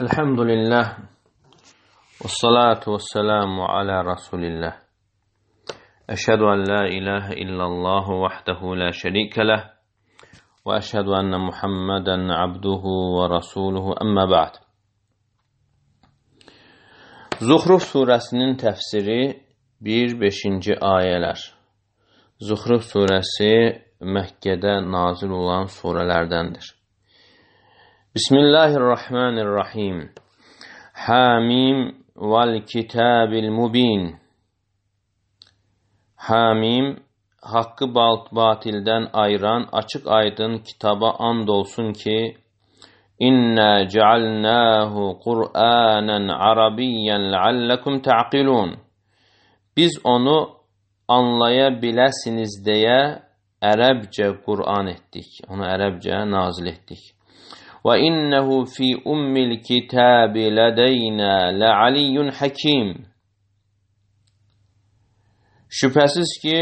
Elhamdülillah ve salatu ve selamu ala Resulillah. Eşhedü en la ilahe illallah vahdehu la şerike leh ve eşhedü enne Muhammeden abduhu ve rasuluhu emmə ba'd. Zuhruf surəsinin təfsiri 1-5-ci ayələr. Zuhruf surəsi Məkkədə nazil olan surələrdəndir. Bismillahirrahmanirrahim. Hamim vel kitabil mubin. Hamim, haqqı batildən ayıran açıq aydın kitaba and olsun ki, İnna cealnahu Qur'anan Arabiyyan leallekum ta'qilun. Biz onu anlaya biləsiniz deyə ərəbcə Qur'an etdik. Onu ərəbcə nazil etdik. Və innehu fi ummil kitabi ladeyna lealiyyun hakim. Şübhəsiz ki,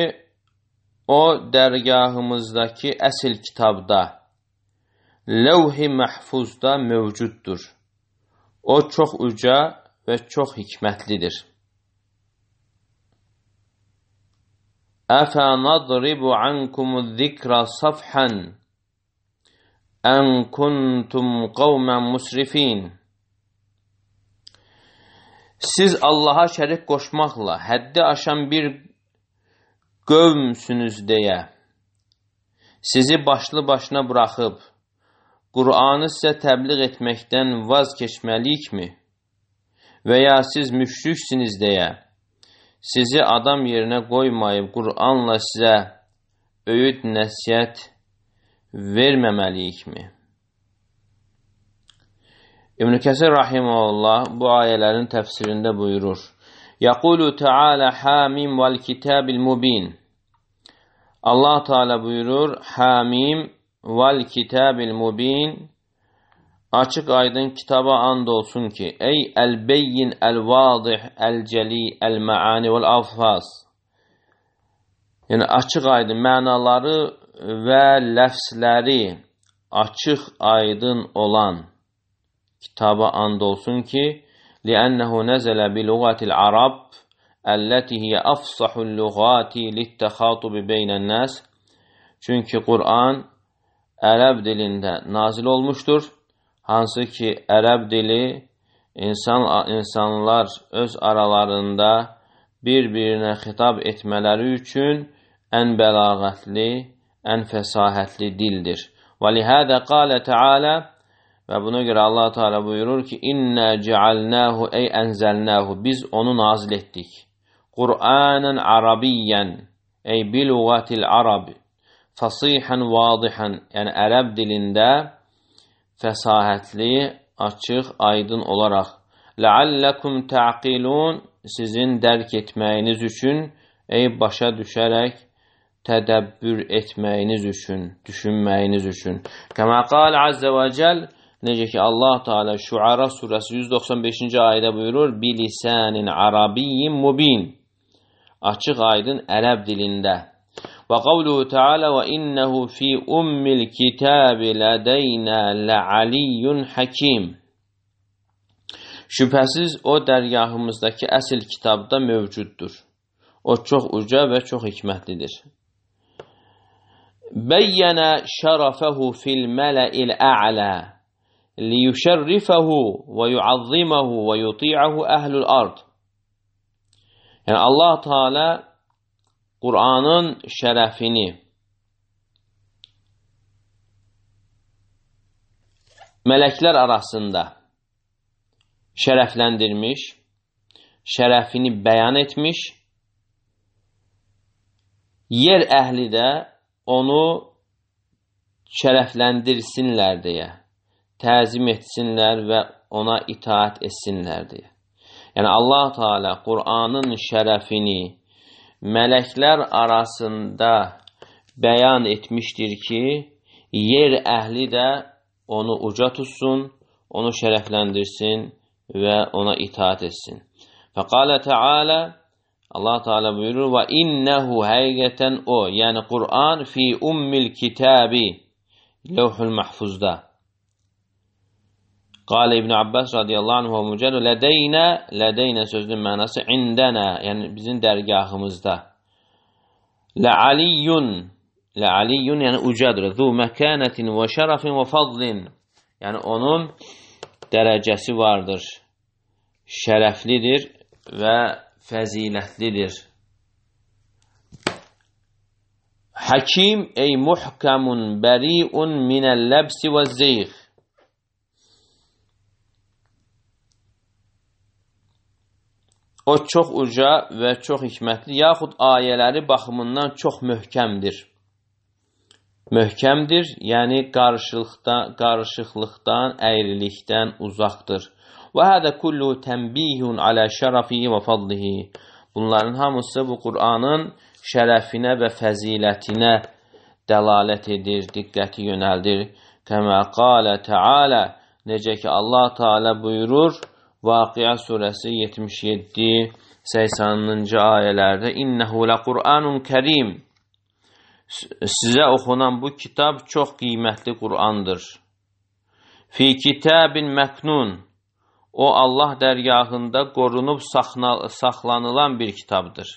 o dərgahımızdakı əsl kitabda, levh-i məhfuzda mövcuddur. O çox uca və çox hikmətlidir. Əfə nadribu ankumuz zikra safhan ən kuntum qavmən musrifin. Siz Allaha şərik qoşmaqla həddi aşan bir qövmsünüz deyə sizi başlı başına buraxıb Qur'anı sizə təbliğ etməkdən vaz keçməliyikmi? Və ya siz müşriksiniz deyə sizi adam yerinə qoymayıb Qur'anla sizə öyüd nəsihət verməməliyikmi? İbn Kəsir rahimehullah bu ayələrin təfsirində buyurur. Yaqulu Teala hamim vel kitabil mubin. Allah Teala buyurur, hamim vel kitabil mubin, açıq aydın kitaba and olsun ki, ey el-beyyin el-vadih el-celi el-maani vel-alfaz. Yəni açıq aydın mənaları və ləfsləri açıq aydın olan kitaba and olsun ki, لِأَنَّهُ نَزَلَ بِلُغَةِ الْعَرَبِ الَّتِي هِيَ أَفْصَحُ اللُّغَاتِ لِلتَّخَاطُبِ بَيْنَ النَّاسِ. Çünki Qur'an ərəb dilində nazil olmuşdur. Hansı ki, ərəb dili insanlar öz aralarında bir-birinə xitab etmələri üçün ən bəlağətli, ən fəsahətli dildir. وَلِهَذَا قَالَ تَعَالَى. Və buna görə Allah Teala buyurur ki, İnna cealnahu ey enzelnahu. Biz onu nazil etdik. Qur'anan Arabiyyan ey bilugatil Arab. Fasihan vadihan. Yəni ərəb dilində fəsahətli, açıq, aydın olaraq. Leallekum ta'qilun. Sizin dərk etməyiniz üçün, ey başa düşərək, tədəbbür etməyiniz üçün, düşünməyiniz üçün. Kəmə qal azze və cəl. Necə ki, Allah Teala Şuara surəsi 195-ci ayədə buyurur, bilisanin arabiyyin mubin. Açıq aydın ərəb dilində. Və qavluhu Teala və innehu fi ummil kitabi ladeyna lealiyyun hakim. Şübhəsiz o dərgahımızdakı əsl kitabda mövcuddur. O çox uca və çox hikmətlidir. Bəyyənə şərəfəhu fil mələ'il ə'lə liyüşərrifəhu və yuazziməhu və yuti'əhu əhlül ard. Yəni Allah Teala Qur'anın şərəfini mələklər arasında şərəfləndirmiş, şərəfini bəyan etmiş, yer əhli də onu şərəfləndirsinlər deyə, təzim etsinlər və ona itaat etsinlər deyə. Yəni Allah Teala Qur'anın şərəfini mələklər arasında bəyan etmişdir ki, yer əhli də onu uca tutsun, onu şərəfləndirsin və ona itaat etsin. Fəqalə Teala, Allah Teala buyurur, və innehu həqiqətən o, yəni Qur'an fi ummil kitabi, levh-ül məhfuzda. Qala İbn Abbas radiyallahu anhu mücərrə lədəynə sözünün mənası indənə, yəni bizim dərgahımızda. Lə'aliyyun yəni ucadır. Zu məkənətin və şərəfin və fadlin. Yəni onun dərəcəsi vardır. Şərəflidir və fəzilətlidir. Hakim ey muhkamun bəriun minəl-ləbsi və zeyğ. O çox uca və çox hikmətli, yaxud ayələri baxımından çox möhkəmdir. Möhkəmdir, yəni qarışıqlıqdan, əyrilikdən uzaqdır. Və hədə kullu tənbihun alə şərəfihi və fadlihi. Bunların hamısı bu Qur'anın şərəfinə və fəzilətinə dəlalət edir, diqqəti yönəldir. Kəmə qalə Teala, necə ki Allah Teala buyurur, Vaqiə surəsi 77-80-cı ayələrdə İnnəhu ləqur'anun kərim. Sizə oxunan bu kitab çox qiymətli Qur'andır. Fi kitabin məknun. O Allah dərgahında qorunub saxlanılan bir kitabdır.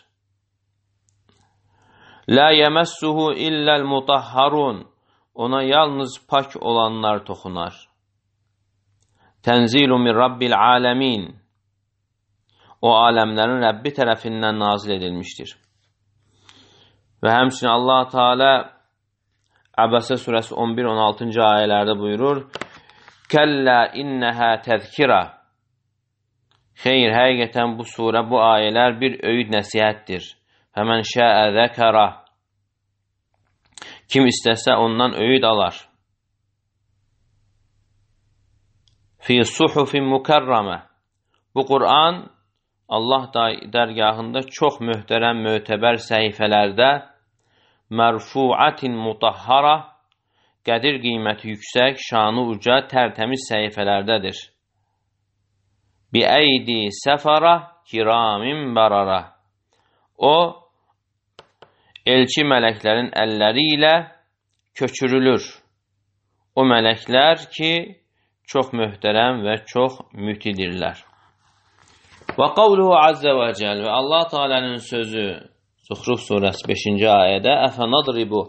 La yemassuhu illal mutahharun. Ona yalnız pak olanlar toxunar. Tənzilu min Rabbil aləmin. O aləmlərin Rəbbi tərəfindən nazil edilmişdir. Və həmçinin Allah Teala Əbəsə surəsi 11-16-cı ayələrdə buyurur: Kəllə innəhə təzkirə. Xeyr, həqiqətən bu surə, bu ayələr bir öyüd nəsihətdir. Fəmən şəə zəkərə. Kim istəsə ondan öyüd alar. Fi suhufin mükərrəmə. Bu Qur'an Allah dərgahında çox möhtərəm, mötəbər səhifələrdə mərfuatin mutahhara, qədir qiyməti yüksək, şanı uca, tərtəmiz səhifələrdədir. Bi əydi səfara kiramin barara. O, elçi mələklərin əlləri ilə köçürülür. O mələklər ki, çox möhtərəm və çox mütidirlər. Və qavluhu azze və cəl və Allah Teala'nın sözü Zuhruf surəsi 5-ci ayədə Əfənadribu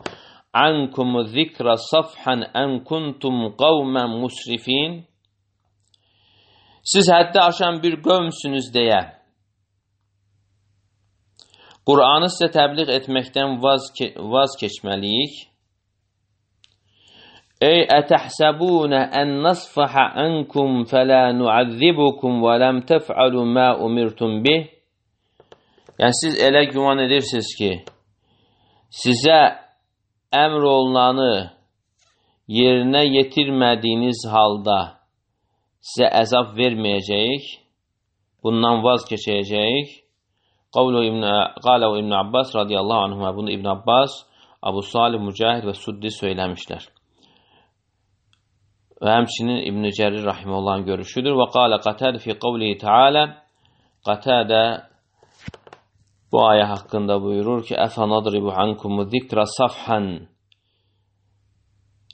ankumu zikrə safhan ən kuntum qavmən musrifin. Siz həddi aşan bir qövmsünüz deyə Qur'anı sizə təbliğ etməkdən vaz keçməliyik. Ey ətəhsəbunə ən nasfəhə ənkum fələ nuazzibukum və ləm təf'alu mə umirtum bih. Yəni, siz elə güman edirsiniz ki, sizə əmr olunanı yerinə yetirmədiyiniz halda sizə əzab verməyəcəyik, bundan vaz keçəcəyik. Qavlu İbn Abbas radiyallahu anhuma, bunu İbn Abbas, Abu Salih, Mücahid və Suddi söyləmişlər. Və həmçinin İbn Cərir rahiməhullahın görüşüdür. Və qalə Qatədə fi qavlihi Teala, Qatədə bu ayə haqqında buyurur ki, Əfənadribu ankumu zikrə safhan.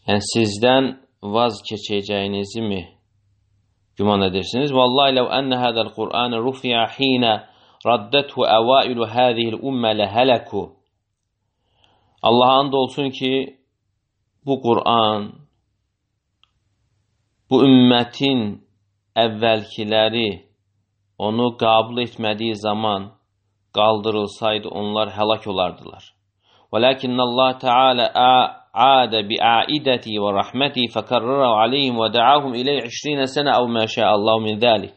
Yəni, sizdən vaz keçəcəyinizi mi güman edirsiniz? Vallahi ləv ənə hədəl Qur'anı rufiyə xinə raddəthu əvailu hədihil ümmə ləhələku. Allah'a and olsun ki, bu Qur'an, bu ümmətin əvvəlkiləri onu qəbul etmədiyi zaman qaldırılsaydı, onlar həlak olardılar. وَلَكِنَّ اللّٰهِ تَعَالَى عَادَ بِعَائِدَتِي وَرَحْمَتِي فَكَرَّرَ عَلَيْهِمْ وَدَعَاهُمْ إِلَيْهِ 20 سَنَةً أَوْ مَا شَاءَ اللّٰهُ مِنْ ذَلِكَ.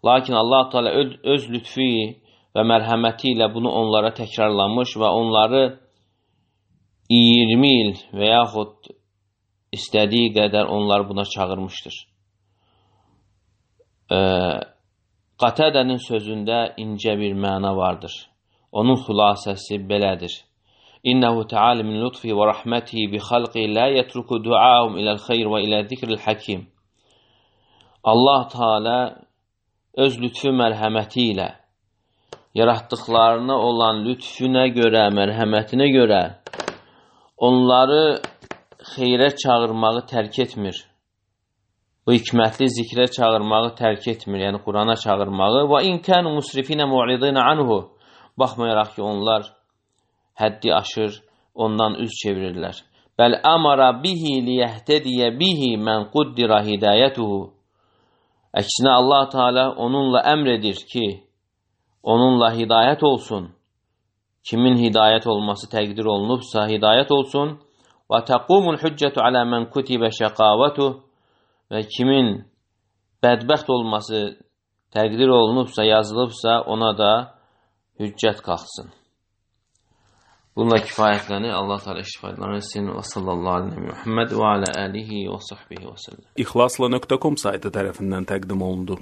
Lakin Allah Teala öz lütfi və mərhəməti ilə bunu onlara təkrarlamış və onları 20 il və yaxud istədiyi qədər onlar buna çağırmışdır. Qatədənin sözündə incə bir məna vardır. Onun xülasəsi belədir. İnnəhu Teala min lütfi və rəhmətihi bi xalqi la yetruku duahum iləl xeyr və ilə zikril hakim. Allah Teala öz lütfü mərhəməti ilə yaratdıqlarına olan lütfüne görə, mərhəmətinə görə onları xeyrə çağırmağı tərk etmir. bu hikmətli zikrə çağırmağı tərk etmir, yəni Qurana çağırmağı. Və in kanu musrifinə mu'ridina anhu, baxmayaraq ki, onlar həddi aşır, ondan üz çevirirlər. Bəl amara bihi liyehtediyə bihi mən quddira hidayətuhu. Əksinə Allah Teala onunla əmr edir ki, onunla hidayət olsun. Kimin hidayət olması təqdir olunubsa, hidayət olsun. Və təqumul hüccətu alə mən kutibə şəqavətuh. Və kimin bədbəxt olması təqdir olunubsa, yazılıbsa, ona da hüccət qalxsın. Bununla kifayətlənir. Allah Teala istifadələrini etsin. Və sallallahu aleyhi və Muhammed və alə alihi və sahbihi və səlləm. İxlasla.com saytı tərəfindən təqdim olundu.